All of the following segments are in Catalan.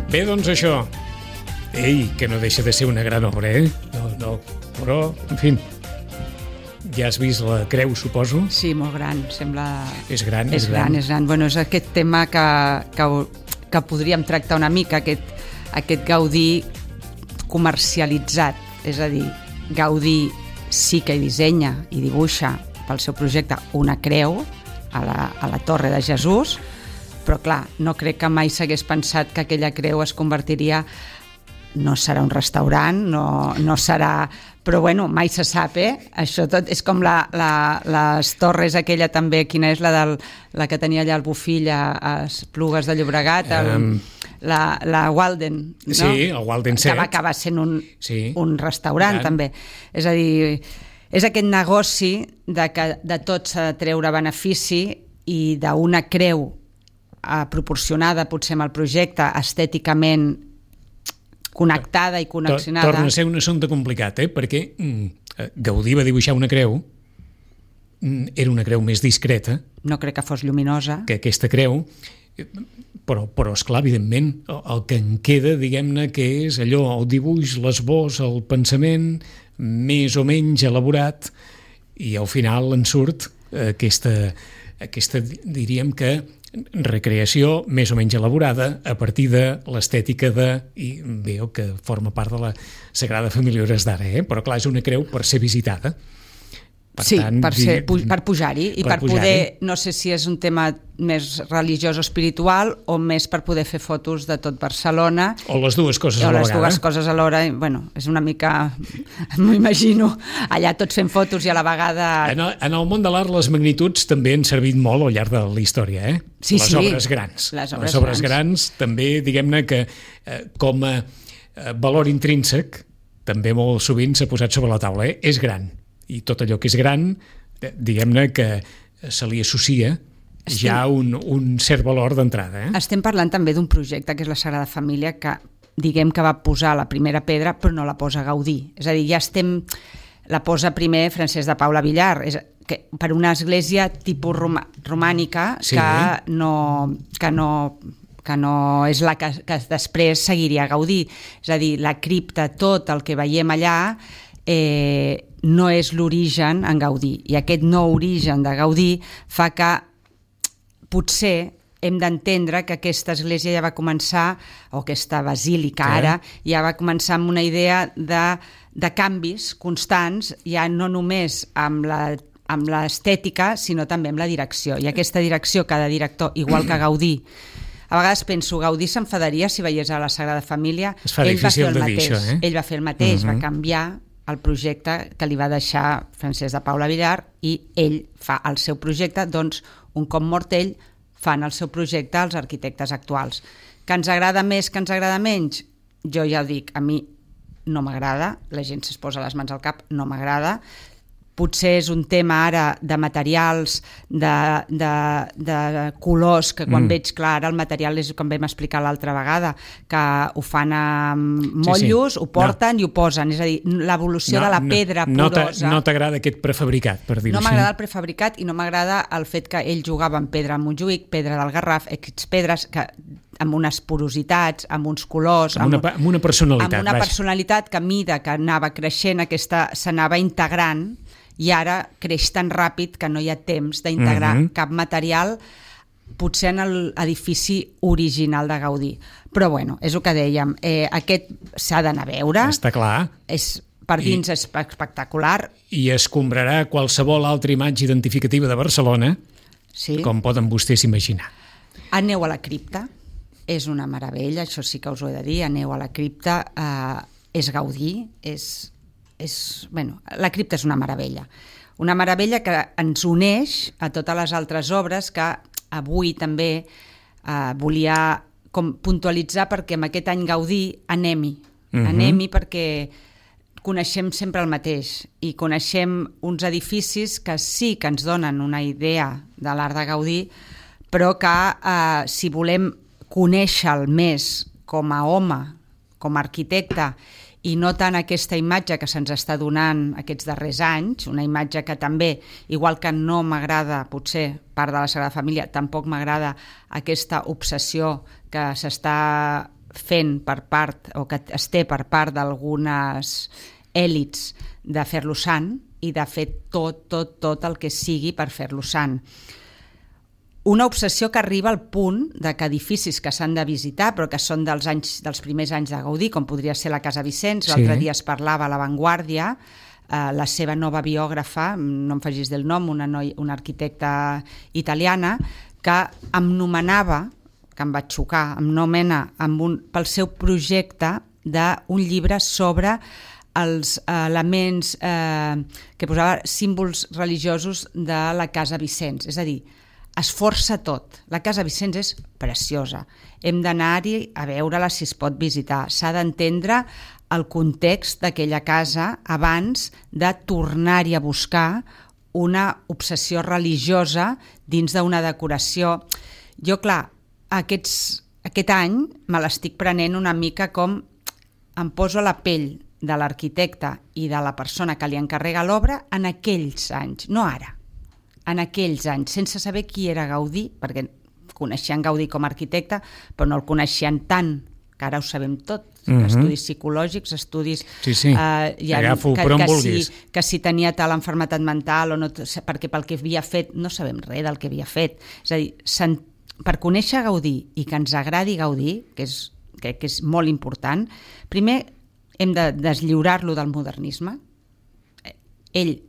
Bé, doncs això. Ei, que no deixa de ser una gran obra, eh? No, però, en fi, ja has vist la creu, suposo? Sí, molt gran, sembla... És gran. Bueno, és aquest tema que podríem tractar una mica, aquest Gaudí comercialitzat, és a dir, Gaudí sí que hi dissenya i dibuixa pel seu projecte una creu a la Torre de Jesús, però clar, no crec que mai s'hagués pensat que aquella creu es convertiria, no serà un restaurant, no serà... Però bueno, mai se sap, Això tot és com les torres aquella també, quina és la que tenia allà el Bofill a Esplugues de Llobregat, la Walden, no? Sí, el Walden 7. Que va acabar sent un restaurant, també. És a dir, és aquest negoci de tot s'ha de treure benefici i d'una creu proporcionada potser amb el projecte, estèticament connectada i connexionada. Torna a ser un assumpte complicat, perquè Gaudí va dibuixar una creu, era una creu més discreta. No crec que fos lluminosa. Que aquesta creu, però esclar, evidentment, el que en queda, diguem-ne, que és allò, el dibuix, l'esbós, el pensament, més o menys elaborat, i al final en surt aquesta diríem que recreació més o menys elaborada a partir de l'estètica i veu que forma part de la Sagrada Família Hores d'Ara, però clar, és una creu per ser visitada. Per pujar-hi i per poder, no sé si és un tema més religiós o espiritual o més per poder fer fotos de tot Barcelona. O les dues coses a la vegada. O les dues coses alhora. Bueno, és una mica, m'ho imagino, allà tots fent fotos i a la vegada... En el món de l'art les magnituds també han servit molt al llarg de la història, Sí, les obres grans. Les obres grans també, diguem-ne que com a valor intrínsec també molt sovint s'ha posat sobre la taula, és gran. I tot allò que és gran, diguem-ne que se li associa ja un cert valor d'entrada. Estem parlant també d'un projecte que és la Sagrada Família, que diguem que va posar la primera pedra però no la posa Gaudí. És a dir, la posa primer Francesc de Paula Villar, per una església tipus romànica que no és la que després seguiria Gaudí. És a dir, la cripta, tot el que veiem allà no és l'origen en Gaudí, i aquest no origen de Gaudí fa que potser hem d'entendre que aquesta església ja va començar, o aquesta basílica ara, ja va començar amb una idea de canvis constants, ja no només amb l'estètica, sinó també amb la direcció, i aquesta direcció, cada director, igual que Gaudí, a vegades penso, Gaudí s'enfadaria si veiés a la Sagrada Família. Es fa difícil de dir això, Ell va fer el mateix, va canviar el projecte que li va deixar Francesc de Paula Villar, i ell fa el seu projecte, doncs un cop mort ell fan el seu projecte els arquitectes actuals. Que ens agrada més, que ens agrada menys? Jo ja ho dic, a mi no m'agrada, la gent es posa les mans al cap, no m'agrada. Potser és un tema ara de materials, de colors, que quan veig clar, ara el material és com vam explicar l'altra vegada, que ho fan amb motllos, ho porten i ho posen, és a dir, l'evolució de la pedra porosa. No t'agrada aquest prefabricat, per dir-ho així? No m'agrada el prefabricat i no m'agrada el fet que ell jugava amb pedra de Montjuïc, pedra del Garraf, aquestes pedres que amb unes porositats, amb uns colors... Amb una personalitat. Amb una personalitat que a mida que anava creixent, s'anava integrant, i ara creix tan ràpid que no hi ha temps d'integrar cap material, potser en l'edifici original de Gaudí. Però bueno, és el que dèiem, aquest s'ha d'anar a veure. Està clar. Per dins és espectacular. I escombrarà qualsevol altra imatge identificativa de Barcelona, com poden vostès imaginar. Aneu a la cripta, és una meravella, això sí que us ho he de dir, aneu a la cripta, és Gaudí, la cripta és una meravella que ens uneix a totes les altres obres que avui també volia puntualitzar, perquè en aquest any Gaudí anem-hi perquè coneixem sempre el mateix i coneixem uns edificis que sí que ens donen una idea de l'art de Gaudí, però que si volem conèixer-lo més com a home, com a arquitecte, i no tant aquesta imatge que se'ns està donant aquests darrers anys, una imatge que també, igual que no m'agrada potser part de la Sagrada Família, tampoc m'agrada aquesta obsessió que s'està fent per part, o que es té per part d'algunes èlits de fer-lo sant i de fer tot el que sigui per fer-lo sant. Una obsessió que arriba al punt de que edificis que s'han de visitar, però que són dels primers anys de Gaudí, com podria ser la Casa Vicenç, l'altre dia es parlava a La Vanguardia, la seva nova biògrafa, no em facis del nom, una arquitecta italiana, que em nomenava, que em va xocar, em nomena pel seu projecte d'un llibre sobre els elements que posava símbols religiosos de la Casa Vicenç, és a dir, es força tot. La Casa Vicenç és preciosa. Hem d'anar-hi a veure-la si es pot visitar. S'ha d'entendre el context d'aquella casa abans de tornar-hi a buscar una obsessió religiosa dins d'una decoració. Jo, clar, aquest any me l'estic prenent una mica com em poso a la pell de l'arquitecte i de la persona que li encarrega l'obra en aquells anys, no ara. En aquells anys, sense saber qui era Gaudí, perquè coneixien Gaudí com a arquitecte, però no el coneixien tant, que ara ho sabem tot, estudis psicològics, estudis... Sí, agafo per on vulguis. Que si tenia tal enfermetat mental o no, perquè pel que havia fet, no sabem res del que havia fet. És a dir, per conèixer Gaudí i que ens agradi Gaudí, que és molt important, primer hem de deslliurar-lo del modernisme. Ell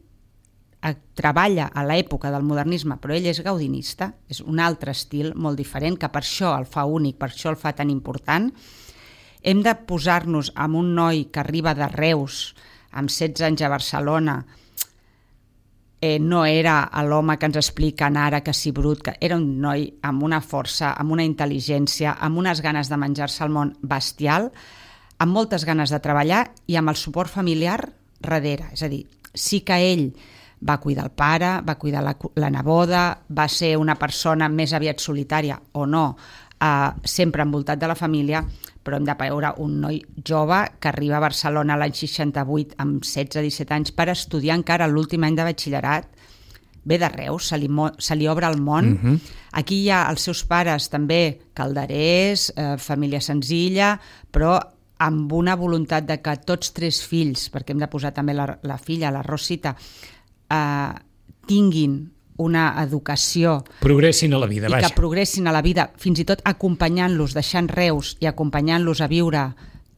treballa a l'època del modernisme, però ell és gaudinista, és un altre estil molt diferent, que per això el fa únic, per això el fa tan important. Hem de posar-nos amb un noi que arriba de Reus, amb 16 anys a Barcelona, no era l'home que ens expliquen ara que si brut, que era un noi amb una força, amb una intel·ligència, amb unes ganes de menjar-se el món bestial, amb moltes ganes de treballar i amb el suport familiar darrere. És a dir, sí que ell va cuidar el pare, va cuidar la neboda, va ser una persona més aviat solitària o no, sempre envoltat de la família, però hem de veure un noi jove que arriba a Barcelona l'any 68 amb 16-17 anys per estudiar encara l'últim any de batxillerat, ve de Reus, se li obre el món. Aquí hi ha els seus pares també calderers, família senzilla, però amb una voluntat de que tots 3 fills, perquè hem de posar també la filla, la Rosita, tinguin una educació... Progressin a la vida, vaja. I que progressin a la vida, fins i tot acompanyant-los, deixant Reus i acompanyant-los a viure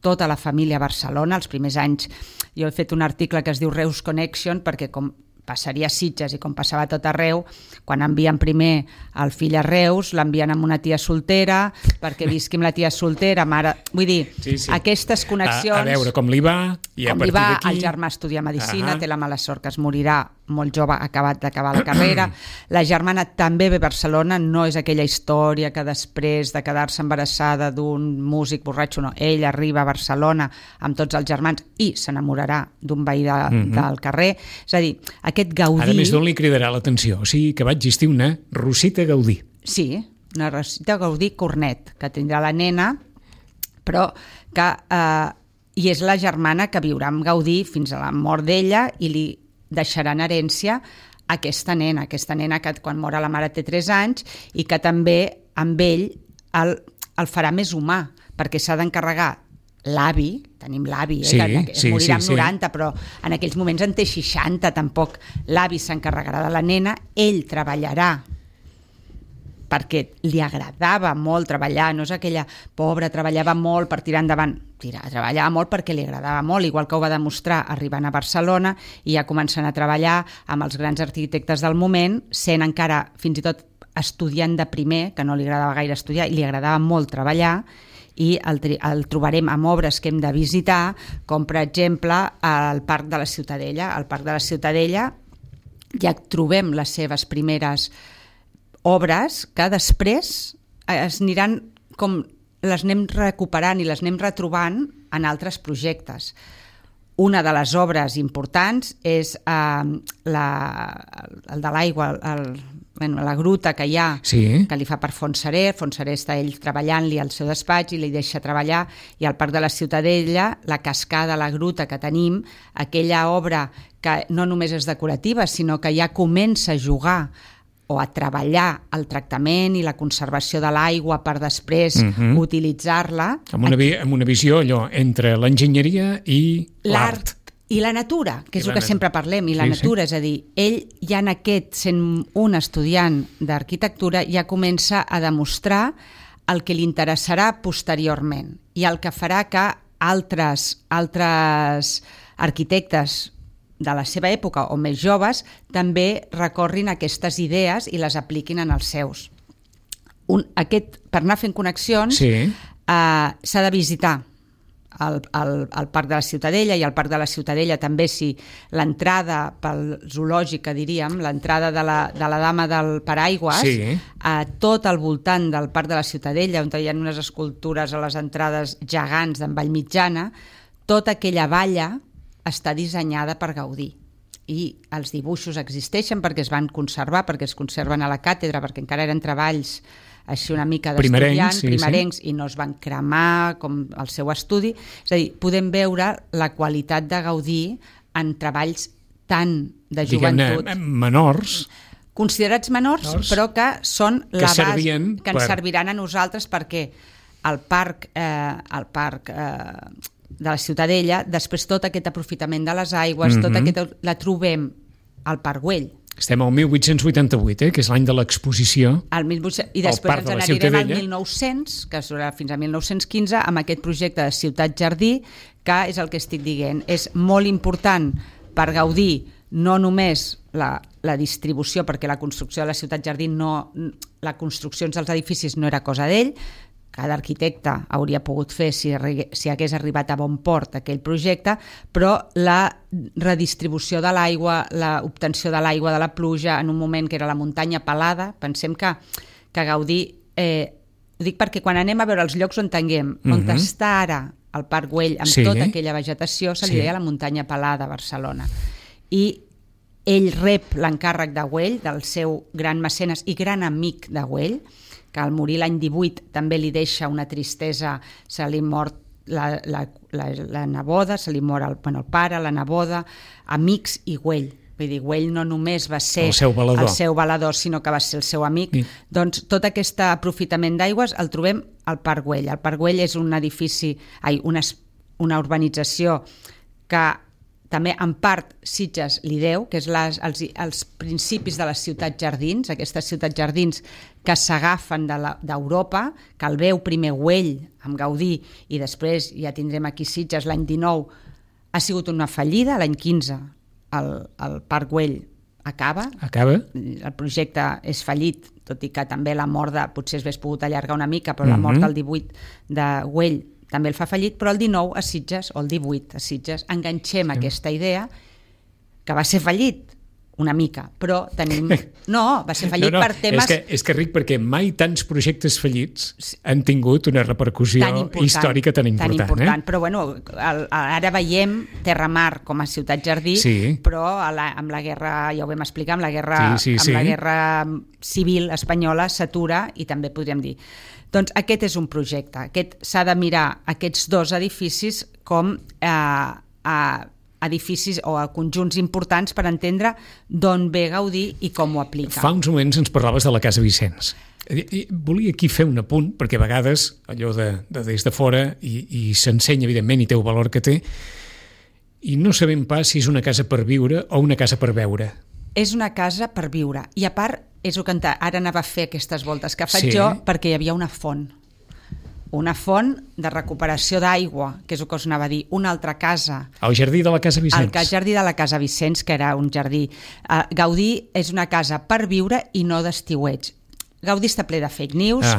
tota la família a Barcelona. Els primers anys jo he fet un article que es diu Reus Connection, perquè com passaria a Sitges i com passava a tot arreu, quan envien primer el fill a Reus, l'envien amb una tia soltera, perquè visqui amb la tia soltera, mare... Vull dir, aquestes connexions... A veure com li va, i a partir d'aquí... El germà estudia Medicina, té la mala sort que es morirà molt jove, acabat d'acabar la carrera. La germana també ve a Barcelona, no és aquella història que després de quedar-se embarassada d'un músic borratxo, no, ell arriba a Barcelona amb tots els germans i s'enamorarà d'un veí del carrer. És a dir, aquest Gaudí... Ara més d'on li cridarà l'atenció, o sigui que va existir una Rosita Gaudí. Sí, una Rosita Gaudí Cornet, que tindrà la nena, però que... I és la germana que viurà amb Gaudí fins a la mort d'ella i li deixarà en herència aquesta nena que quan mor la mare té 3 anys i que també amb ell el farà més humà, perquè s'ha d'encarregar l'avi, tenim l'avi, morirà amb 90, però en aquells moments en té 60, tampoc l'avi s'encarregarà de la nena, ell treballarà perquè li agradava molt treballar, no és aquella pobra, treballava molt per tirar endavant, treballava molt perquè li agradava molt, igual que ho va demostrar arribant a Barcelona i ja començant a treballar amb els grans arquitectes del moment, sent encara fins i tot estudiant de primer, que no li agradava gaire estudiar i li agradava molt treballar, i el trobarem amb obres que hem de visitar, com per exemple el Parc de la Ciutadella. Al Parc de la Ciutadella ja trobem les seves primeres obres que després es aniran com les anem recuperant i les anem retrobant en altres projectes. Una de les obres importants és el de l'aigua, la gruta que hi ha, Sí. que li fa per Fontserè està ell treballant-li al seu despatx i li deixa treballar, i al Parc de la Ciutadella, la cascada, la gruta que tenim, aquella obra que no només és decorativa, sinó que ja comença a jugar o a treballar el tractament i la conservació de l'aigua per després utilitzar-la. Amb una visió allò entre l'enginyeria i l'art. I la natura, que és el que sempre parlem, i la natura, és a dir, ell ja en aquest, sent un estudiant d'arquitectura, ja comença a demostrar el que li interessarà posteriorment i el que farà que altres arquitectes de la seva època o més joves també recorrin aquestes idees i les apliquin en els seus. Per anar fent connexions s'ha de visitar al Parc de la Ciutadella, i al Parc de la Ciutadella també, si l'entrada pel zoològic, diríem, l'entrada de la dama del paraigües, a tot al voltant del Parc de la Ciutadella, on hi ha unes escultures a les entrades gegants d'en Vallmitjana, tota aquella valla està dissenyada per Gaudí. I els dibuixos existeixen perquè es van conservar, perquè es conserven a la càtedra, perquè encara eren treballs així una mica d'estudiants, primerencs, i no es van cremar com el seu estudi. És a dir, podem veure la qualitat de Gaudí en treballs tan de joventut. Diguem-ne, menors. Considerats menors, però que són la base que ens serviran a nosaltres, perquè el parc de la Ciutadella, després tot aquest aprofitament de les aigües, tot aquest, la trobem al Parc Güell. Estem al 1888, que és l'any de l'exposició. I després ens n'anirem al 1900, que serà fins a 1915, amb aquest projecte de Ciutat Jardí, que és el que estic dient. És molt important per Gaudí no només la distribució, perquè la construcció de la Ciutat Jardí, la construcció dels edificis no era cosa d'ell, cada arquitecte hauria pogut fer si hagués arribat a bon port aquell projecte, però la redistribució de l'aigua, l'obtenció de l'aigua de la pluja en un moment que era la muntanya pelada, pensem que Gaudí, ho dic perquè quan anem a veure els llocs on tinguem, on està ara el Parc Güell amb tota aquella vegetació, se li deia la muntanya pelada a Barcelona. I ell rep l'encàrrec de Güell, del seu gran mecenes i gran amic de Güell, que al morir l'any 18 també li deixa una tristesa, se li mor la neboda, se li mor el pare, la neboda, amics i Güell. Vull dir, Güell no només va ser el seu valedor, sinó que va ser el seu amic. Doncs tot aquest aprofitament d'aigües el trobem al Parc Güell. El Parc Güell és un edifici, una urbanització que també en part Sitges li deu, que és els principis de les ciutats jardins, aquestes ciutats jardins que s'agafen d'Europa, que el veu primer Güell amb Gaudí i després ja tindrem aquí Sitges l'any 19, ha sigut una fallida, l'any 15 el Parc Güell acaba, el projecte és fallit, tot i que també la mort potser s'hagués pogut allargar una mica, però la mort del 18 de Güell també el fa fallit, però el 19 a Sitges, o el 18 a Sitges, enganxem aquesta idea que va ser fallit una mica, però tenim... No, va ser fallit per temes... És que ric, perquè mai tants projectes fallits han tingut una repercussió històrica tan important. Però bueno, ara veiem Terramar com a ciutat jardí, però amb la guerra, ja ho vam explicar, amb la guerra civil espanyola s'atura, i també podríem dir... Doncs aquest és un projecte. S'ha de mirar aquests dos edificis com edificis o a conjunts importants per entendre d'on ve Gaudí i com ho aplica. Fa uns moments ens parlaves de la Casa Vicenç. Volia aquí fer un apunt, perquè a vegades allò de des de fora i s'ensenya, evidentment, i té el valor que té, i no sabem pas si és una casa per viure o una casa per veure. És una casa per viure. I a part, és el que ara anava a fer aquestes voltes que faig jo, perquè hi havia una font de recuperació d'aigua, que és el que us anava a dir, una altra casa. El jardí de la Casa Vicenç. El jardí de la Casa Vicenç, que era un jardí. Gaudí és una casa per viure i no d'estiueig. Gaudí està ple de fake news,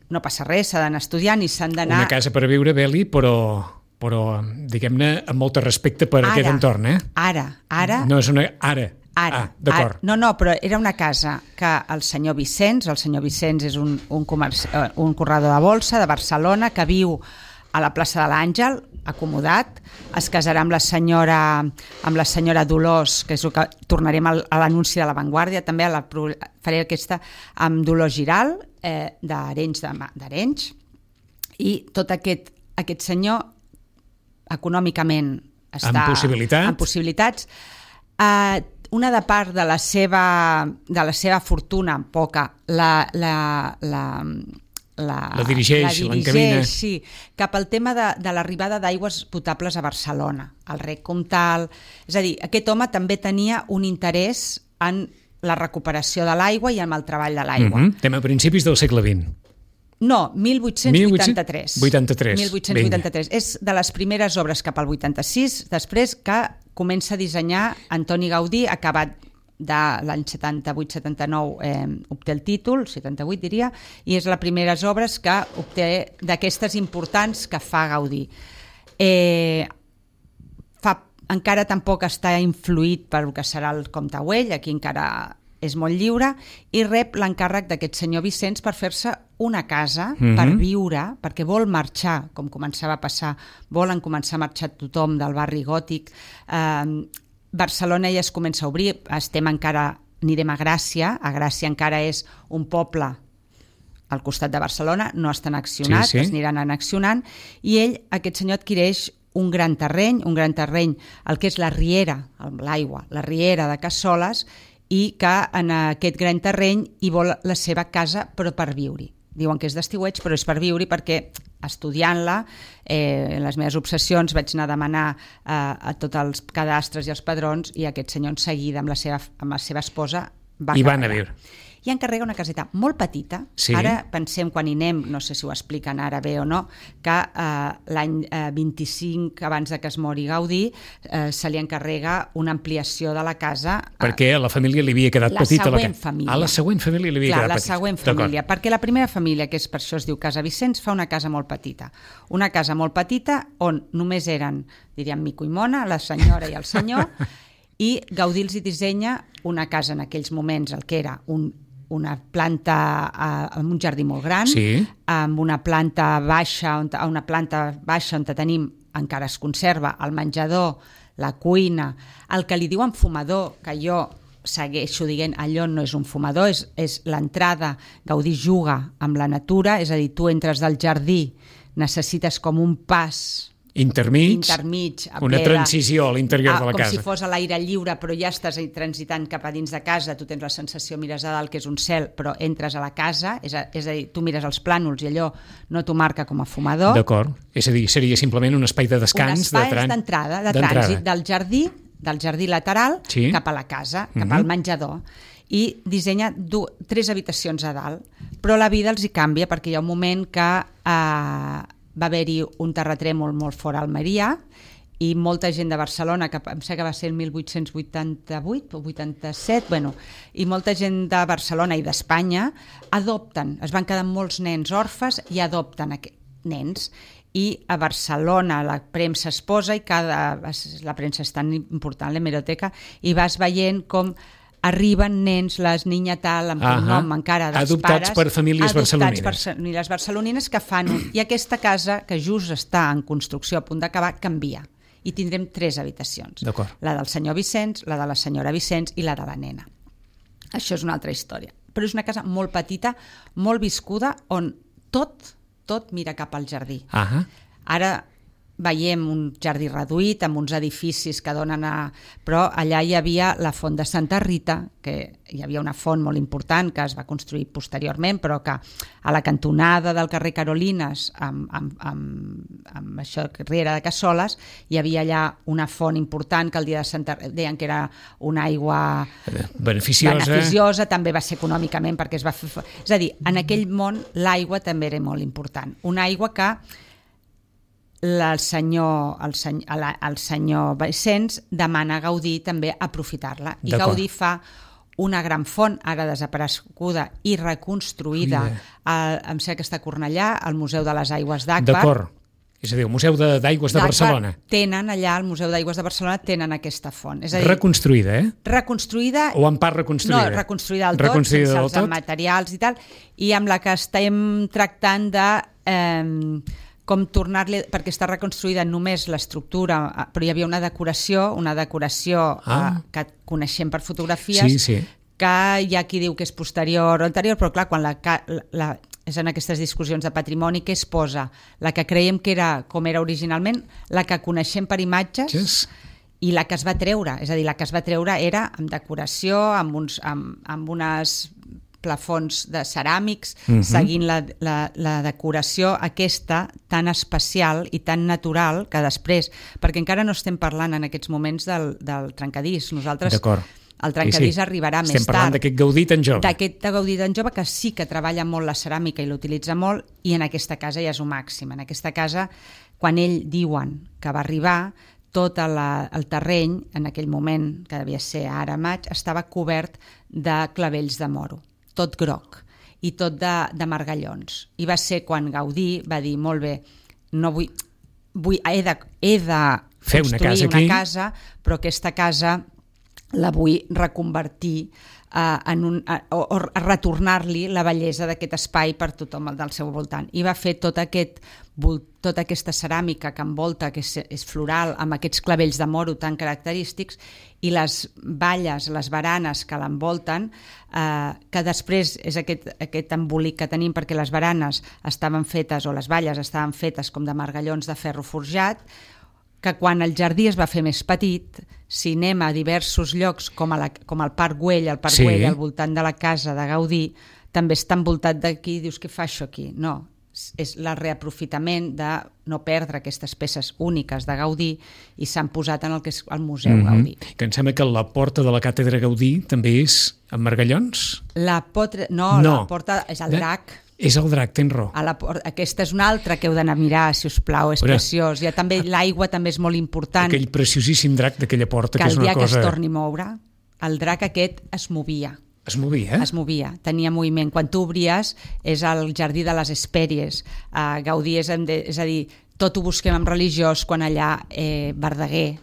no passa res, s'ha d'anar estudiant i s'han d'anar... Una casa per viure, Beli, però diguem-ne, amb molt respecte per aquest entorn, Ara... No és una... d'acord. No, però era una casa que el senyor Vicenç és un corredor de bolsa de Barcelona que viu a la plaça de l'Àngel, acomodat, es casarà amb la senyora Dolors, que és el que tornarem a l'anunci de La Vanguardia, també faré aquesta amb Dolors Giral, d'Arenys, i tot aquest senyor econòmicament està en possibilitats. Una de part de la seva fortuna, poca, la dirigeix, l'encamina. Sí, cap al tema de l'arribada d'aigües potables a Barcelona, al Rec Comtal. És a dir, aquest home també tenia un interès en la recuperació de l'aigua i en el treball de l'aigua. Estem a principis del segle XX. No, 1883. 1883. És de les primeres obres cap al 86, després que comença a dissenyar Antoni Gaudí, acabat de l'any 78-79 obté el títol, 78 diria, i és les primeres obres que obté d'aquestes importants que fa Gaudí. Encara tampoc està influït per el que serà el Comte Güell, aquí encara és molt lliure, i rep l'encàrrec d'aquest senyor Vicenç per fer-se una casa per viure, perquè vol marxar, com començava a passar, volen començar a marxar tothom del barri gòtic. Barcelona ja es comença a obrir, anirem a Gràcia encara és un poble al costat de Barcelona, no està annexionat, es aniran annexionant, i ell, aquest senyor, adquireix un gran terreny, el que és la riera, l'aigua, la riera de Cassoles, i que en aquest gran terreny hi vol la seva casa, però per viure-hi. Diuen que és d'estiueig, però és per viure-hi perquè estudiant-la, en les meves obsessions vaig anar a demanar a tots els cadastres i els padrons, i aquest senyor en seguida amb la seva esposa va anar a viure. I encarrega una caseta molt petita. Ara pensem, quan hi anem, no sé si ho expliquen ara bé o no, que l'any 25 abans que es mori Gaudí se li encarrega una ampliació de la casa. Perquè a la família li havia quedat petita. La següent família. A la següent família li havia quedat petita. La següent família, perquè la primera família, que és per això es diu Casa Vicenç, fa una casa molt petita. Una casa molt petita on només eren, diríem, Mico i Mona, la senyora i el senyor, i Gaudí els hi dissenya una casa en aquells moments, el que era una planta amb un jardí molt gran, amb una planta baixa on tenim, encara es conserva, el menjador, la cuina, el que li diuen fumador, que jo segueixo dient, allò no és un fumador, és l'entrada. Gaudí juga amb la natura, és a dir, tu entres del jardí, necessites com un pas intermig, una transició a l'interior de la casa. Com si fos a l'aire lliure, però ja estàs transitant cap a dins de casa, tu tens la sensació, mires a dalt, que és un cel, però entres a la casa, és a dir, tu mires els plànols i allò no t'ho marca com a fumador. D'acord, és a dir, seria simplement un espai de descans, d'entrada, de trànsit del jardí lateral cap a la casa, cap al menjador, i dissenya 3 habitacions a dalt, però la vida els hi canvia perquè hi ha un moment que va haver-hi un terratrèmol molt fort a Almeria i molta gent de Barcelona, que em sembla que va ser el 1888 o 87, i molta gent de Barcelona i d'Espanya adopten, es van quedar molts nens orfes i adopten nens. I a Barcelona la premsa es posa, i la premsa és tan important, l'hemeroteca, i vas veient com arriben nens, les niña tal, amb un nom encara dels adoptats pares, per famílies barcelonines. Adoptats per famílies barcelonines que fan i aquesta casa, que just està en construcció a punt d'acabar, canvia. I tindrem 3 habitacions. La del senyor Vicenç, la de la senyora Vicenç i la de la nena. Això és una altra història. Però és una casa molt petita, molt viscuda, on tot mira cap al jardí. Ara veiem un jardí reduït amb uns edificis que donen però allà hi havia la font de Santa Rita, que hi havia una font molt important que es va construir posteriorment, però que a la cantonada del carrer Carolines amb això, riera de Cassoles, hi havia allà una font important que el dia de Santa Rita deien que era una aigua beneficiosa, també va ser econòmicament perquè es va fer... És a dir, en aquell món l'aigua també era molt important. Una aigua que el senyor Vicenç demana a Gaudí també aprofitar-la, i Gaudí fa una gran font, ara desapareguda i reconstruïda, em sembla que està a Cornellà, al Museu de les Aigües d'Agbar. D'acord, és a dir, el Museu d'Aigües de Barcelona. Tenen allà, al Museu d'Aigües de Barcelona, tenen aquesta font. És a dir, reconstruïda, reconstruïda... O en part reconstruïda? No, reconstruïda del tot, sense els materials i tal, i amb la que estem tractant de com tornar-li, perquè està reconstruïda només l'estructura, però hi havia una decoració que coneixem per fotografies, que hi ha qui diu que és posterior o anterior, però clar, quan és en aquestes discussions de patrimoni que es posa la que creiem que era com era originalment, la que coneixem per imatges i la que es va treure, és a dir, la que es va treure era amb decoració, amb unes plafons de ceràmics, seguint la decoració aquesta tan especial i tan natural que després, perquè encara no estem parlant en aquests moments del trencadís, nosaltres el trencadís arribarà més tard. Estem parlant d'aquest Gaudí tan jove. D'aquest Gaudí tan jove que sí que treballa molt la ceràmica i l'utilitza molt, i en aquesta casa ja és el màxim. En aquesta casa, quan ell diuen que va arribar, tot el terreny, en aquell moment, que devia ser ara maig, estava cobert de clavells de moro, tot groc, i tot de margallons. I va ser quan Gaudí va dir, molt bé, no he de construir una casa, però aquesta casa la vull reconvertir o retornar-li la bellesa d'aquest espai per tothom del seu voltant. I va fer tota aquesta ceràmica que envolta, que és floral, amb aquests clavells de moro tan característics, i les valles, les baranes que l'envolten, que després és aquest embolic que tenim, perquè les baranes estaven fetes, o les valles estaven fetes com de margallons de ferro forjat, que quan el jardí es va fer més petit, si anem a diversos llocs, com el Parc Güell, Güell al voltant de la casa de Gaudí, també està envoltat d'aquí, dius, què fa això aquí? No, és el reaprofitament de no perdre aquestes peces úniques de Gaudí, i s'han posat en el que és el Museu Gaudí. Que em sembla que la porta de la Càtedra Gaudí també és amb margallons? La porta és el drac. És el drac, tens raó. Aquesta és una altra que heu d'anar a mirar, si us plau, és preciós. L'aigua també és molt important. Aquell preciosíssim drac d'aquella porta, que és una cosa... Que el dia que es torni a moure, el drac aquest es movia. Es movia? Es movia, tenia moviment. Quan tu obries, és el jardí de les Hespèries. Gaudí és a dir, tot ho busquem en religiós, quan allà Verdaguer,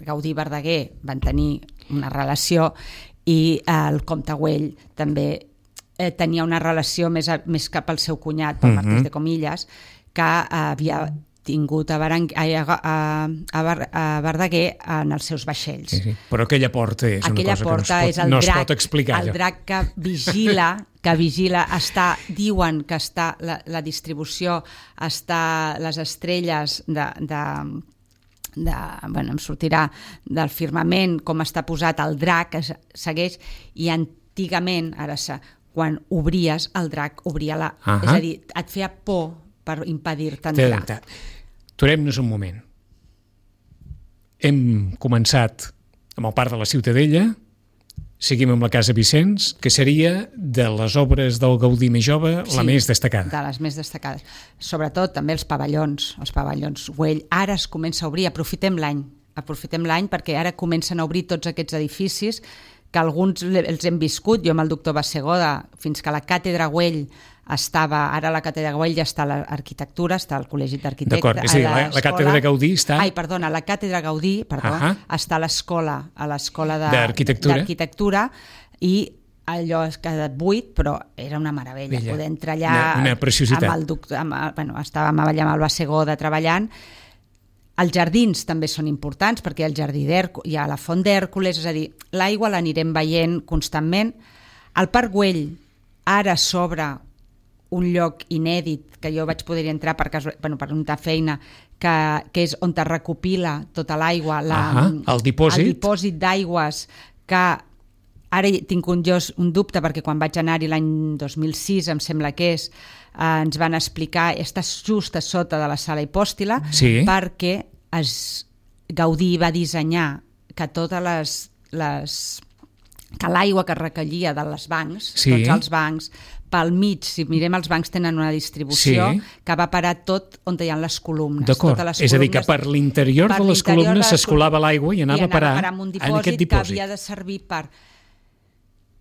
Gaudí i Verdaguer van tenir una relació, i el comte Güell també tenia una relació més cap al seu cunyat, pel Marquès de Comillas, que havia tingut a Verdaguer en els seus vaixells. Sí. Però aquella porta és una cosa que no es pot explicar. El drac que vigila, diuen que està la distribució, les estrelles em sortirà del firmament, com està posat el drac, que segueix, i antigament, quan obries, el drac obria és a dir, et feia por per impedir-te entrar. Aturem-nos un moment. Hem començat amb el Parc de la Ciutadella, seguim amb la Casa Vicenç, que seria de les obres del Gaudí més jove la més destacada. De les més destacades. Sobretot també els pavellons Güell. Ara es comença a obrir, aprofitem l'any perquè ara comencen a obrir tots aquests edificis que alguns els hem viscut, jo amb el doctor Bassegoda, fins que la Càtedra Güell estava, ara la Càtedra Güell ja està a l'arquitectura, està al Col·legi d'Arquitectes. D'acord, és a dir, la Càtedra Gaudí està... la Càtedra Gaudí, està a l'escola d'Arquitectura, i allò ha quedat buit, però era una meravella, poder entrar allà, una preciositat. Estàvem allà amb el Bassegoda treballant. Els jardins també són importants, perquè hi ha la Font d'Hèrcules, és a dir, l'aigua l'anirem veient constantment. El Parc Güell ara s'obre un lloc inèdit, que jo vaig poder entrar per una feina, que és on es recopila tota l'aigua, el dipòsit d'aigües, que ara tinc un dubte, perquè quan vaig anar-hi l'any 2006, em sembla que ens van explicar, està just a sota de la sala hipòstila, perquè Gaudí va dissenyar que totes que l'aigua que recollia de les bancs, tots els bancs, pel mig, si mirem els bancs tenen una distribució que va parar tot on hi ha les columnes. D'acord, és a dir, que per l'interior de les columnes s'escolava l'aigua i anava a parar en un en aquest dipòsit dipòsit. Que havia de servir per...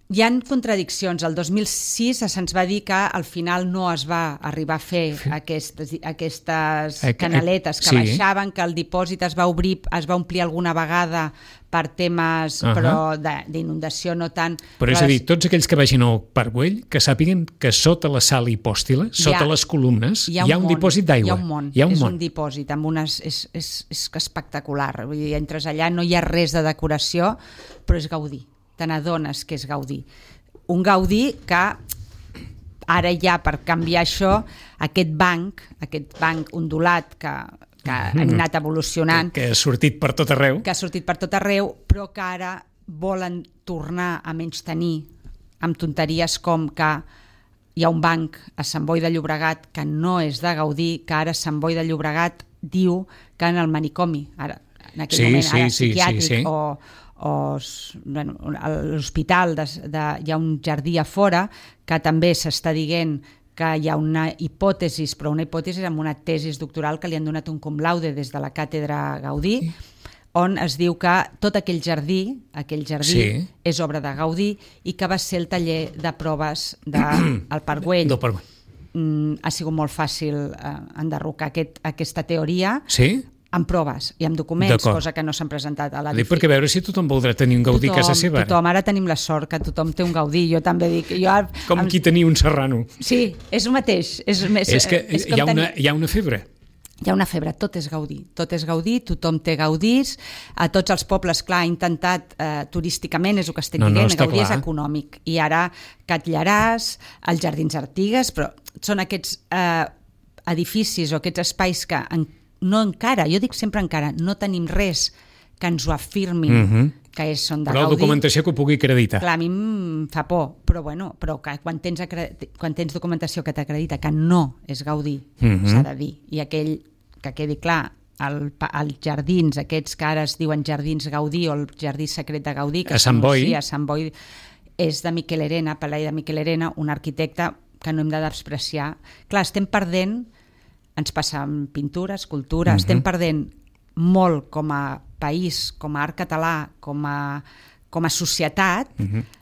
Hi ha contradiccions. El 2006 se'ns va dir que al final no es va arribar a fer aquestes canaletes que baixaven, que el dipòsit es va omplir alguna vegada per temes però d'inundació no tant. Però és a dir, tots aquells que vagin al Parc Güell, que sàpiguen que sota la sala hipòstila, sota les columnes, hi ha un dipòsit d'aigua. Hi ha un món. És un dipòsit amb unes... És espectacular. Vull dir, entres allà, no hi ha res de decoració, però és Gaudí. Te n'adones que és Gaudí. Un Gaudí que ara ja, per canviar això, aquest banc ondulat que ha anat evolucionant... Que ha sortit per tot arreu. Però que ara volen tornar a menystenir amb tonteries com que hi ha un banc a Sant Boi de Llobregat que no és de Gaudí, que ara Sant Boi de Llobregat diu que en el manicomi, ara, en aquell moment, ara psiquiàtric o l'hospital, hi ha un jardí a fora que també s'està dient que hi ha una hipòtesi, però una hipòtesi amb una tesi doctoral que li han donat un cum laude des de la càtedra Gaudí, on es diu que tot aquell jardí és obra de Gaudí i que va ser el taller de proves del Parc Güell. Ha sigut molt fàcil enderrocar aquesta teoria amb proves i amb documents, cosa que no s'han presentat a l'edifici. Perquè a veure si tothom voldrà tenir un Gaudí a casa seva. Ara tenim la sort que tothom té un Gaudí, jo també dic... Com qui tenia un Serrano. Sí, és el mateix. És que hi ha una febre. Hi ha una febre, tot és Gaudí, tothom té Gaudís, a tots els pobles, clar, ha intentat turísticament, és el que estic dient, Gaudí és econòmic, i ara Catllaràs, els Jardins Artigues, però són aquests edificis o aquests espais que no encara, jo dic sempre encara, no tenim res que ens ho afirmi que són de Gaudí. Però la documentació que ho pugui acreditar. Clar, a mi em fa por, però que quan tens documentació que t'acredita que no és Gaudí, s'ha de dir. I aquell, que quedi clar, els jardins, aquests que ara es diuen Jardins Gaudí o el Jardí Secret de Gaudí, que a Sant Boi, és de Miquel Herena, Pelai de Miquel Herena, un arquitecte que no hem de despreciar. Clar, estem perdent, ens passa amb pintura, escultura, estem perdent molt com a país, com a art català, com a societat,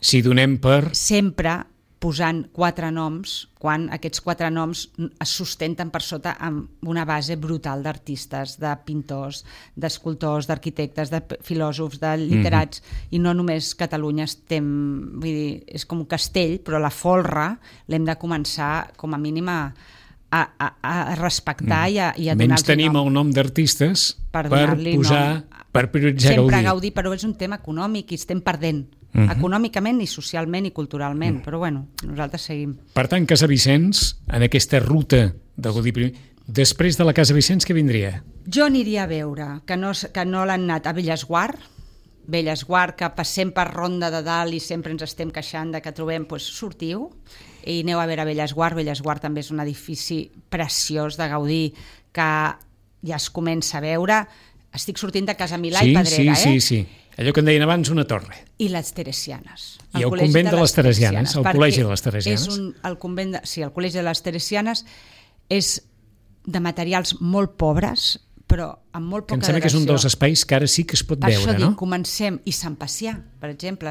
si donem per... sempre posant 4 noms, quan aquests 4 noms es sustenten per sota amb una base brutal d'artistes, de pintors, d'escultors, d'arquitectes, de filòsofs, de literats, i no només Catalunya estem... Vull dir, és com un castell, però la folre l'hem de començar com a mínim a respectar i a donar-los nom. Menys tenim el nom d'artistes per posar, per prioritzar Gaudí. Sempre Gaudí, però és un tema econòmic i estem perdent, econòmicament i socialment i culturalment, però bueno, nosaltres seguim. Per tant, Casa Vicenç, en aquesta ruta de Gaudí, després de la Casa Vicenç, què vindria? Jo aniria a veure, que no l'han anat a Bellesguard, que passem per Ronda de Dalt i sempre ens estem queixant de que trobem, doncs sortiu, i aneu a veure Bellesguard. Bellesguard també és un edifici preciós de Gaudí que ja es comença a veure. Estic sortint de Casa Milà i Pedrera, Sí. Allò que en deien abans una torre. I les Teresianes. I el convent de les Teresianes, el col·legi de les Teresianes. El col·legi de les Teresianes és de materials molt pobres, però amb molt poca datació. Em sembla que és un dels espais que ara sí que es pot veure, no? Comencem, i Sant Pacià, per exemple,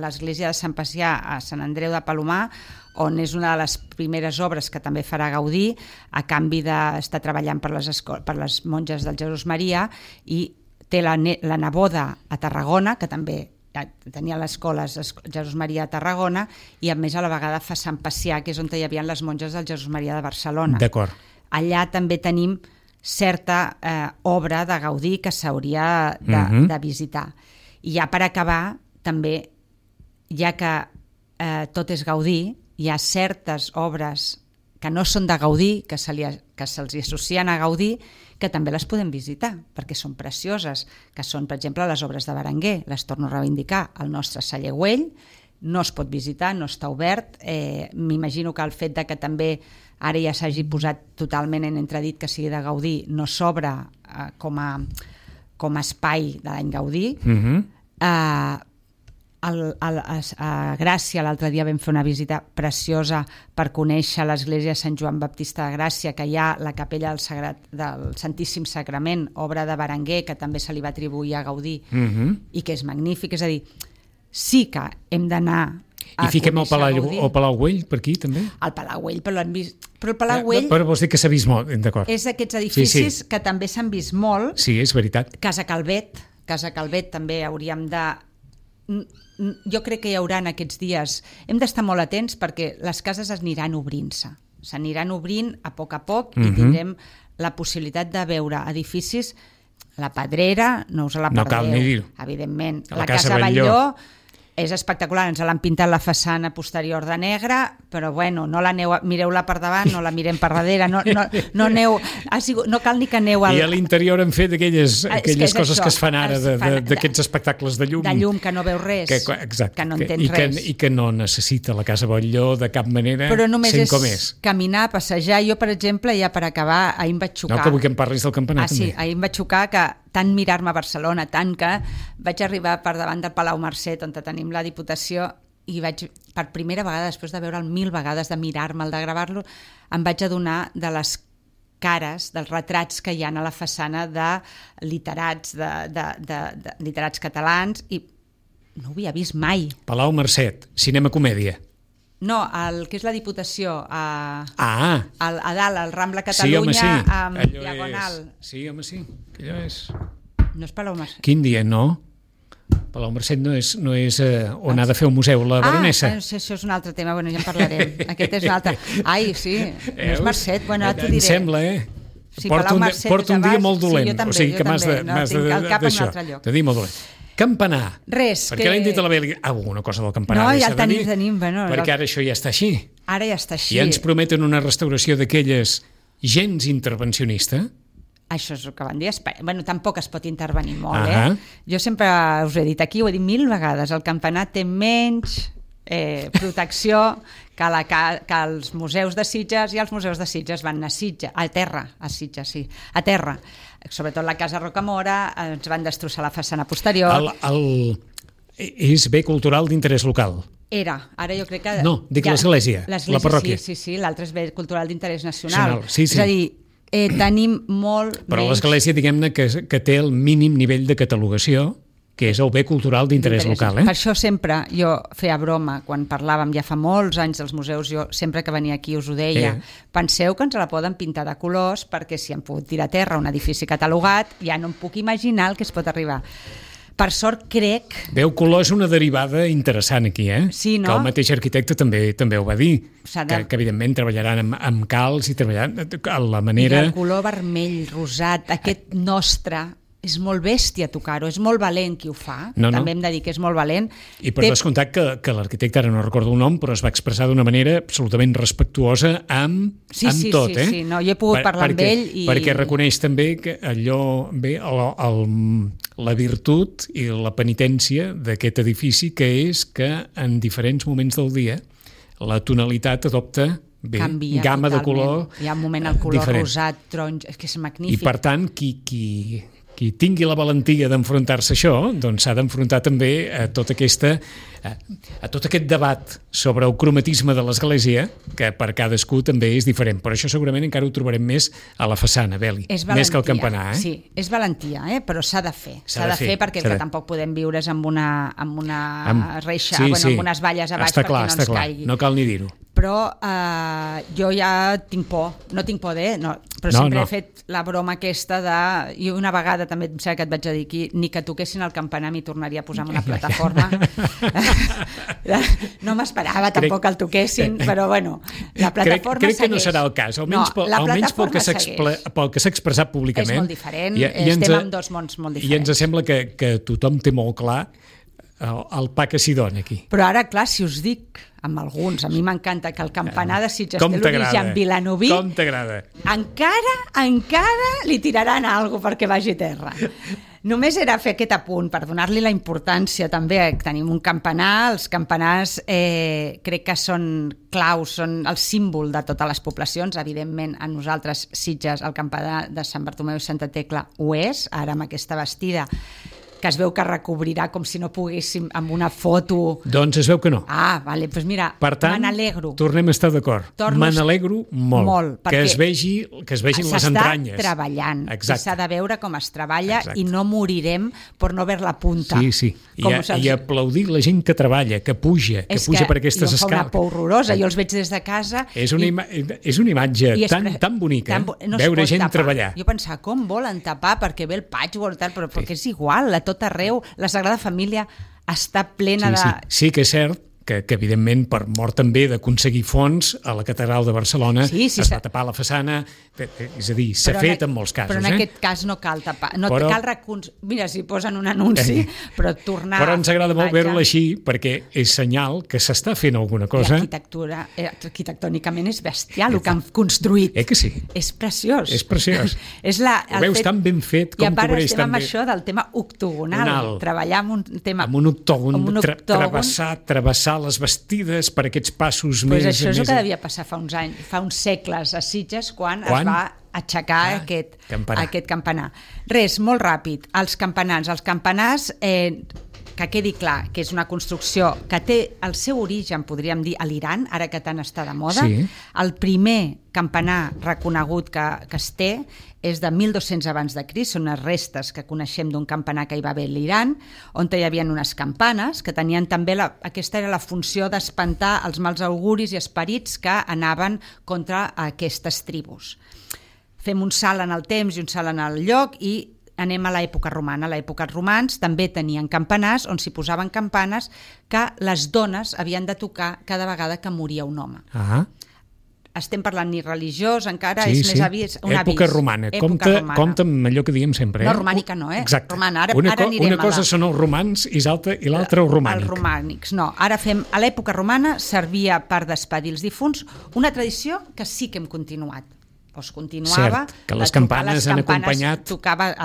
l'església de Sant Pacià a Sant Andreu de Palomar, on és una de les primeres obres que també farà Gaudí, a canvi d'estar treballant per les monges del Jesús Maria, i té la neboda a Tarragona, que també tenia l'escola Jesús Maria a Tarragona, i a més a la vegada fa Sant Pacià, que és on hi havia les monges del Jesús Maria de Barcelona. D'acord. Allà també tenim certa obra de Gaudí que s'hauria de visitar. I ja per acabar, també, ja que tot és Gaudí, hi ha certes obres que no són de Gaudí, que se'ls associen a Gaudí, que també les podem visitar, perquè són precioses, que són, per exemple, les obres de Berenguer. Les torno a reivindicar. El nostre celler Güell no es pot visitar, no està obert. M'imagino que el fet de que també ara ja s'hagi posat totalment en entredit que sigui de Gaudí, no s'obre com a espai de l'any Gaudí. A Gràcia l'altre dia vam fer una visita preciosa per conèixer l'església de Sant Joan Baptista de Gràcia, que hi ha la capella del Santíssim Sagrament, obra de Berenguer, que també se li va atribuir a Gaudí, i que és magnífic. És a dir, sí que hem d'anar I fiquem el Palau Güell per aquí, també? El Palau Güell, però l'han vist... Però el Palau Güell... Però vols dir que s'ha vist molt, d'acord. És d'aquests edificis que també s'han vist molt. Sí, és veritat. Casa Calvet també hauríem de... Jo crec que hi haurà en aquests dies... Hem d'estar molt atents perquè les cases aniran obrint-se. S'aniran obrint a poc i tindrem la possibilitat de veure edificis. La Pedrera, no us la perdeu. No cal ni dir-ho. Evidentment. La Casa Batlló és espectacular, ens l'han pintat la façana posterior de negre, però bueno, no mireu-la per davant, no la mirem per darrere, no aneu, no cal ni que aneu I a l'interior han fet aquelles coses que es fan ara d'aquests espectacles de llum. De llum, que no veus res, que no entens res. I que no necessita la Casa Batlló de cap manera, però només sent com és. Caminar, passejar. Jo, per exemple, ja per acabar, ahir em vaig xocar. No, que vull que em parlis del campanar, també. Sí, ahir em vaig xocar que tant mirar-me a Barcelona, tant que vaig arribar per davant del Palau Mercet, on tenim la Diputació, i vaig, per primera vegada, després de veure'l 1000 vegades, de mirar-me'l, de gravar-lo, em vaig adonar de les cares, dels retrats que hi ha a la façana de literats, de literats catalans, i no ho havia vist mai. Palau Mercet, cinema-comèdia. No, el que és la Diputació, a dalt, al Rambla Catalunya, amb Diagonal. Sí, home, sí, allò és... No és Palau Mercet. Quin dia, no? Palau Mercet no és on ha de fer un museu la baronessa. Això és un altre tema, bueno, ja en parlarem. Aquest és un altre. Ai, sí, no és Mercet, bueno, ara t'ho diré. Em sembla, Sí, porto un dia molt dolent. Sí, jo també, o sigui que m'has d'això, de dir molt dolent. Campanar. Res. Perquè l'hem dit a la Beli... Alguna cosa del campanar. No, ja el tenim. Perquè ara això ja està així. Ara ja està així. I ens prometen una restauració d'aquelles gens intervencionista. Això és el que van dir. Bueno, tampoc es pot intervenir molt, Jo sempre us he dit aquí, ho he dit 1000 vegades, el campanar té menys protecció que els museus de Sitges, i els museus de Sitges van anar a terra, a terra. Sobretot la Casa Rocamora, ens van destrossar la façana posterior. És bé cultural d'interès local. Ara jo crec que... No, dic l'església, la parròquia. Sí, l'altre és bé cultural d'interès nacional. Sí. És a dir, tenim molt Però menys... l'església, diguem-ne, que té el mínim nivell de catalogació, que és el bé cultural d'interès local. Per això sempre jo feia broma, quan parlàvem ja fa molts anys dels museus, jo sempre que venia aquí us ho deia, penseu que ens la poden pintar de colors, perquè si han pogut tirar a terra un edifici catalogat, ja no em puc imaginar el que es pot arribar. Per sort, crec... Veu, color és una derivada interessant aquí, Sí, no? Que el mateix arquitecte també ho va dir, que evidentment treballaran amb calç i treballaran a la manera... I el color vermell, rosat, aquest nostre... És molt bèstia tocar-ho, és molt valent qui ho fa, també hem de dir que és molt valent. I per descomptat que l'arquitecte, ara no recordo el nom, però es va expressar d'una manera absolutament respectuosa amb tot. Sí, no, jo he pogut parlar amb ell i... Perquè reconeix també que allò, la virtut i la penitència d'aquest edifici, que és que en diferents moments del dia la tonalitat adopta gamma de color diferent. Hi ha un moment el color rosat, taronja, és que és magnífic. I per tant, qui tingui la valentia d'enfrontar-se a això, doncs s'ha d'enfrontar també a tot aquest debat sobre el cromatisme de l'església, que per cadascú també és diferent. Per això segurament encara ho trobarem més a la façana, Beli, més que al campanar. Sí, és valentia, però s'ha de fer. S'ha de fer perquè tampoc podem viure's amb una reixa, amb unes valles a baix perquè no ens caigui. No cal ni dir-ho. Però jo ja tinc por, no tinc por però sempre he fet la broma aquesta i una vegada també em sembla que et vaig dir aquí, ni que toquessin el campanar m'hi tornaria a posar en una plataforma. No m'esperava tampoc que el toquessin, però bueno, la plataforma crec que no serà el cas, almenys pel que s'ha expressat públicament. És molt diferent, estem en dos mons molt diferents. I ens sembla que tothom té molt clar el pa que s'hi dona aquí. Però ara, clar, si us dic amb alguns, a mi m'encanta que el campanar de Sitges té l'origen vilanoví, com t'agrada? Encara li tiraran alguna cosa perquè vagi a terra. Només era fer aquest apunt per donar-li la importància també. Tenim un campanar, els campanars crec que són claus, són el símbol de totes les poblacions. Evidentment, a nosaltres, Sitges, el campanar de Sant Bartomeu i Santa Tecla ho és, ara amb aquesta bastida que es veu que recobrirà com si no poguéssim amb una foto. Doncs es veu que no. Ah, vale, doncs mira, per tant, me n'alegro. Tornem a estar d'acord. Me n'alegro molt que es vegin les entranyes. S'està treballant. Exacte. S'ha de veure com es treballa. Exacte. I no morirem per no ver la punta. Sí. I aplaudir la gent que treballa, que puja per aquestes escales. És que fa una por horrorosa. Jo els veig des de casa. És una imatge tan bonica, veure gent treballar. Jo pensava, com volen tapar perquè ve el patchwork, però perquè és igual, a tot arreu. La Sagrada Família està plena de... Sí que és cert que evidentment per mort també d'aconseguir fons a la Catedral de Barcelona es va tapar la façana, és a dir, s'ha fet en molts casos. Però en aquest cas no cal tapar, mira, si posen un anunci, però tornar... Però ens agrada molt veure-la així perquè és senyal que s'està fent alguna cosa. I arquitectònicament és bestial el que han construït. Que sí? És preciós. És preciós. Ho veus tan ben fet com cobreix tan bé. I a part estem amb això del tema octogonal, treballar amb un tema... Amb un octògon, travessar les bastides per aquests passos més... Això és el que devia passar fa uns segles a Sitges, quan es va aixecar aquest campanar. Res, molt ràpid, els campanars, que quedi clar que és una construcció que té el seu origen, podríem dir, a l'Iran, ara que tant està de moda. Sí. El primer campanar reconegut que es té és de 1200 abans de Crist, són unes restes que coneixem d'un campanar que hi va haver a l'Iran, on hi havia unes campanes que tenien també, aquesta era la funció d'espantar els mals auguris i esperits que anaven contra aquestes tribus. Fem un salt en el temps i un salt en el lloc i anem a l'època romana. A l'època romans també tenien campanars on s'hi posaven campanes que les dones havien de tocar cada vegada que moria un home. Estem parlant ni religiós, encara és més avís, un avís. Època romana. Compte amb allò que diem sempre. No, romànica no, Exacte. Romana. Ara anirem una cosa són els romans i l'altra el romànic. Els romànics, no. Ara a l'època romana servia per despedir els difunts, una tradició que sí que hem continuat. Doncs continuava... Cert, que les campanes han acompanyat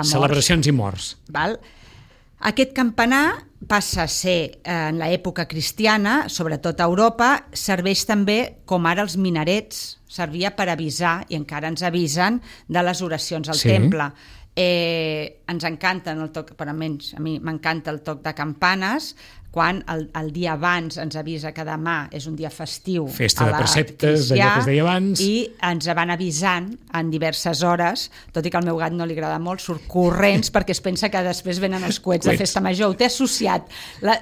celebracions i morts. Val? Aquest campanar passa a ser, en l'època cristiana, sobretot a Europa, serveix també, com ara els minarets, servia per avisar, i encara ens avisen, de les oracions al temple. Ens encanten el toc, per almenys a mi m'encanta el toc de campanes, quan el dia abans ens avisa que demà és un dia festiu, festa de preceptes, allò que es deia abans, i ens van avisant en diverses hores, tot i que al meu gat no li agrada molt, surt corrents perquè es pensa que després venen els coets de festa major. Ho té associat.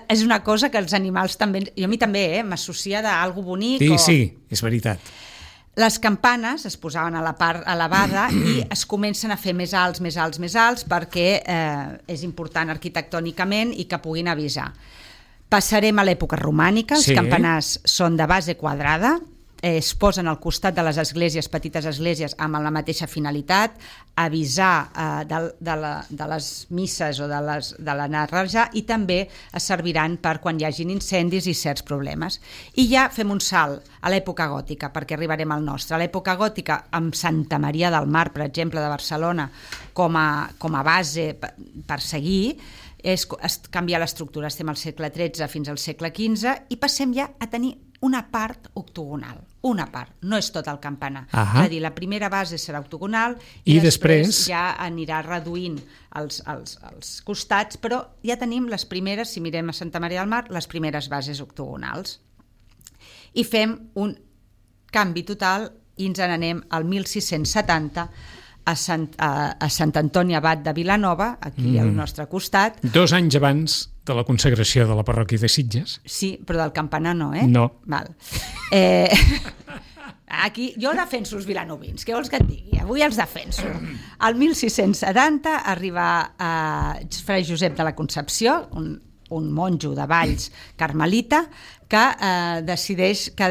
És una cosa que els animals també, i a mi també, m'associa d'algo bonic. Sí, és veritat. Les campanes es posaven a la part elevada i es comencen a fer més alts perquè és important arquitectònicament i que puguin avisar. Passarem a l'època romànica. Els campanars són de base quadrada, es posen al costat de les esglésies, petites esglésies, amb la mateixa finalitat, avisar de les misses o de la narraja, i també es serviran per quan hi hagin incendis i certs problemes. I ja fem un salt a l'època gòtica, perquè arribarem al nostre. A l'època gòtica, amb Santa Maria del Mar, per exemple, de Barcelona, com a base per seguir, es canvia l'estructura. Estem al segle XIII fins al segle XV i passem ja a tenir una part octogonal. Una part, no és tot el campanar. És a dir, la primera base serà octogonal i després ja anirà reduint els costats, però ja tenim les primeres, si mirem a Santa Maria del Mar, les primeres bases octogonals. I fem un canvi total i ens n'anem al 1670 a Sant Antoni Abat de Vilanova, aquí al nostre costat. 2 anys abans de la consagració de la parròquia de Sitges. Sí, però del campanar no, No. Val. Aquí jo defenso els vilanovins, què vols que et digui? Avui els defenso. Al 1670 arriba Fray Josep de la Concepció, un monjo de Valls carmelita, que decideix que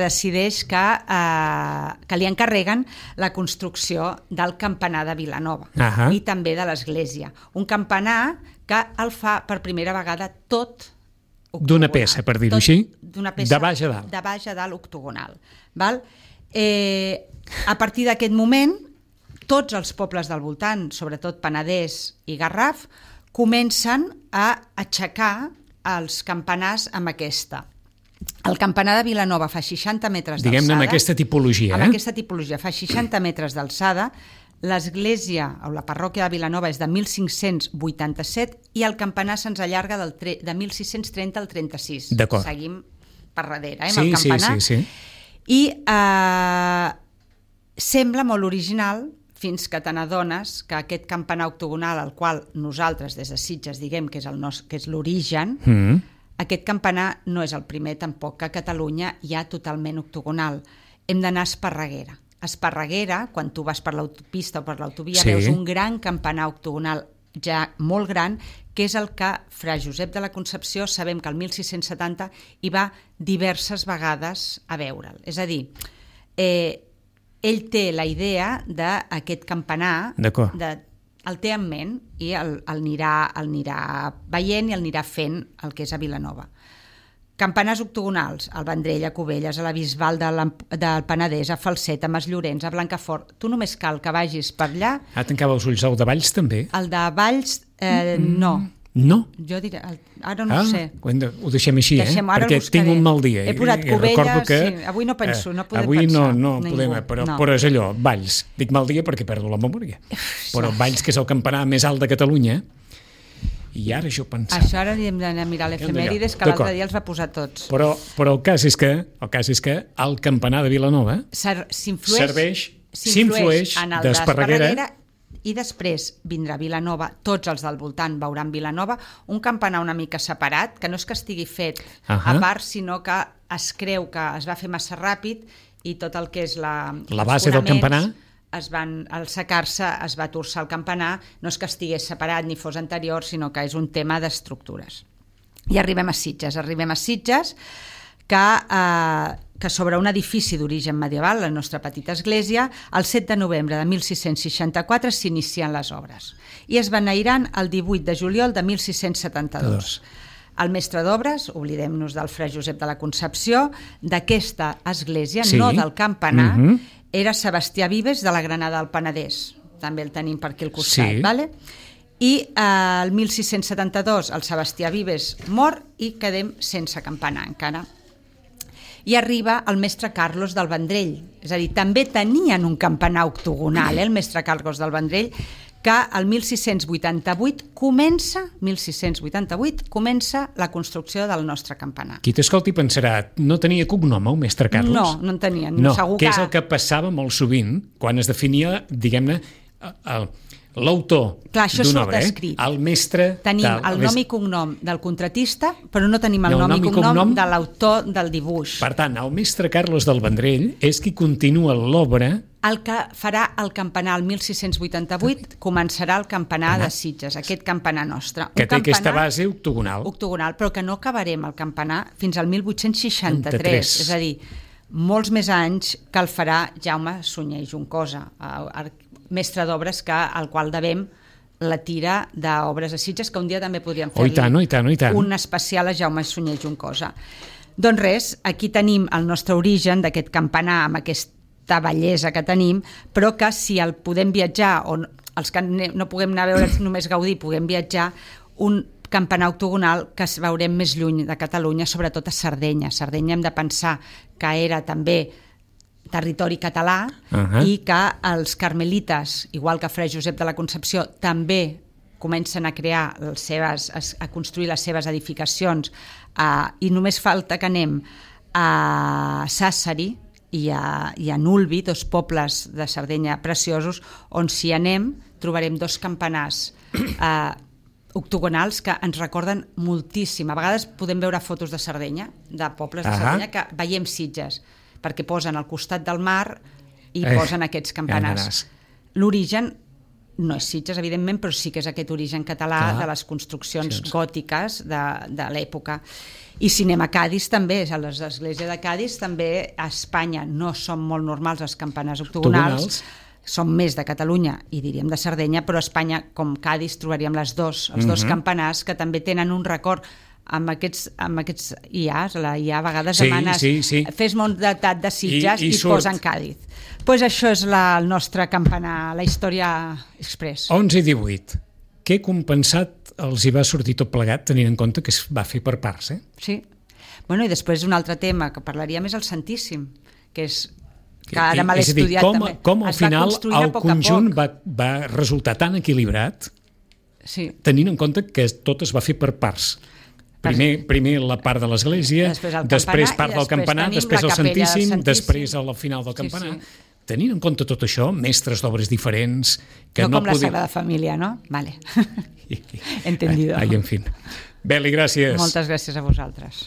li encarreguen la construcció del campanar de Vilanova i també de l'església. Un campanar que el fa per primera vegada tot octogonal. D'una peça, per dir-ho així? De baix a dalt. De baix a dalt octogonal. Val? A partir d'aquest moment, tots els pobles del voltant, sobretot Penedès i Garraf, comencen a aixecar els campanars amb aquesta. El campanar de Vilanova fa 60 metres d'alçada. Diguem-ne amb aquesta tipologia. Amb aquesta tipologia, fa 60 metres d'alçada. L'església, o la parròquia de Vilanova, és de 1587 i el campanar se'ns allarga de 1630 al 36. D'acord. Seguim per darrere, amb el campanar. Sí. I sembla molt original fins que te n'adones que aquest campanar octogonal, al qual nosaltres des de Sitges diguem que és l'origen, aquest campanar no és el primer tampoc, que a Catalunya hi ha totalment octogonal. Hem d'anar a Esparreguera. A Esparreguera, quan tu vas per l'autopista o per l'autovia, veus un gran campanar octogonal ja molt gran, que és el que Fra Josep de la Concepció, sabem que el 1670 hi va diverses vegades a veure'l. És a dir, ell té la idea d'aquest campanar, el té en ment i el anirà veient i el anirà fent el que és a Vilanova. Campanars octogonals, al Vendrell, a Cubelles, a la Bisbal del Penedès, a Falset, a Masllorenç, a Blancafort. Tu només cal que vagis per allà. Tancava els ulls. El de Valls també? El de Valls, no. No? Jo diré, ara no ho sé. Ho deixem així, perquè tinc un mal dia. He posat Cubelles, avui no penso, no podem pensar. Avui no podem, però és allò, Valls. Dic mal dia perquè perdo la memòria. Però Valls, que és el campanar més alt de Catalunya, i ara això pensava. Això ara hem d'anar a mirar l'efemèrides, que l'altre dia els va posar tots. Però el cas és que el campanar de Vilanova s'influeix en el d'Esparreguera, i després vindrà Vilanova, tots els del voltant veuran Vilanova, un campanar una mica separat, que no és que estigui fet a part, sinó que es creu que es va fer massa ràpid i tot el que és la base del campanar al secar-se es va torçar el campanar, no és que estigués separat ni fos anterior, sinó que és un tema d'estructures. I arribem a Sitges, que sobre un edifici d'origen medieval, la nostra petita església, el 7 de novembre de 1664 s'inicien les obres i es beneiran el 18 de juliol de 1672. El mestre d'obres, oblidem-nos del Fra Josep de la Concepció, d'aquesta església, no del campanar, era Sebastià Vives de la Granada del Penedès. També el tenim per aquí al costat, vale? I el 1672 el Sebastià Vives mor i quedem sense campanar encara. I arriba el mestre Carlos del Vendrell, és a dir, també tenien un campanar octogonal, el mestre Carlos del Vendrell, que el 1688 comença la construcció del nostre campanar. Qui t'escolti pensarà, no tenia cognom el mestre Carlos? No en tenia. No, que és el que passava molt sovint quan es definia, diguem-ne, l'autor d'una obra, el mestre... Tenim el nom i cognom del contratista, però no tenim el nom i cognom de l'autor del dibuix. Per tant, el mestre Carlos del Vendrell és qui continua l'obra. El que farà el campanar el 1688 començarà el campanar de Sitges, aquest campanar nostre. Que té aquesta base octogonal. Octogonal, però que no acabarem el campanar fins al 1863. És a dir, molts més anys que el farà Jaume Sunyer i Juncosa, mestre d'obres al qual devem la tira d'obres a Sitges, que un dia també podríem fer-li un especial a Jaume Sunyer i Juncosa. Doncs res, aquí tenim el nostre origen d'aquest campanar amb aquesta bellesa que tenim, però que si el podem viatjar, o els que no puguem anar a veure només gaudir, puguem viatjar, un campanar octogonal que veurem més lluny de Catalunya, sobretot a Sardenya. Sardenya hem de pensar que era també territori català i que els carmelites, igual que Fra Josep de la Concepció, també comencen a crear a construir les seves edificacions i només falta que anem a Sàssari i a Nulvi, dos pobles de Sardenya preciosos, on si anem trobarem dos campanars octogonals que ens recorden moltíssim. A vegades podem veure fotos de Sardenya, de pobles de Sardenya, que veiem Sitges, perquè posen al costat del mar i posen aquests campanars. L'origen no és Sitges, evidentment, però sí que és aquest origen català de les construccions gòtiques de l'època. I si anem a Càdiz també, a les esglésies de Càdiz també, a Espanya no són molt normals els campanars octogonals, són més de Catalunya i diríem de Sardenya, però a Espanya, com Càdiz, trobaríem els dos campanars que també tenen un record amb aquests IAs, la IA a vegades demanes fes-me un datat de Sitges i posen Càdiz. Doncs això és el nostre campanar, la història express. 11 i 18. Què compensat els hi va sortir tot plegat, tenint en compte que es va fer per parts, Sí. Bueno, i després un altre tema que parlaríem és el Santíssim, que és Que ara me l'he és a dir, estudiat també. com al Es va final construint a el poc a conjunt poc. va resultar tan equilibrat, Sí. tenint en compte que tot es va fer per parts. Primer la part de l'església, després part del campanar, després el Santíssim, després al final del campanar. Sí. Tenint en compte tot això, mestres d'obres diferents... que no com la podia... Sagrada Família, no? Vale. Entendido. Ai, en fi. Beli, gràcies. Moltes gràcies a vosaltres.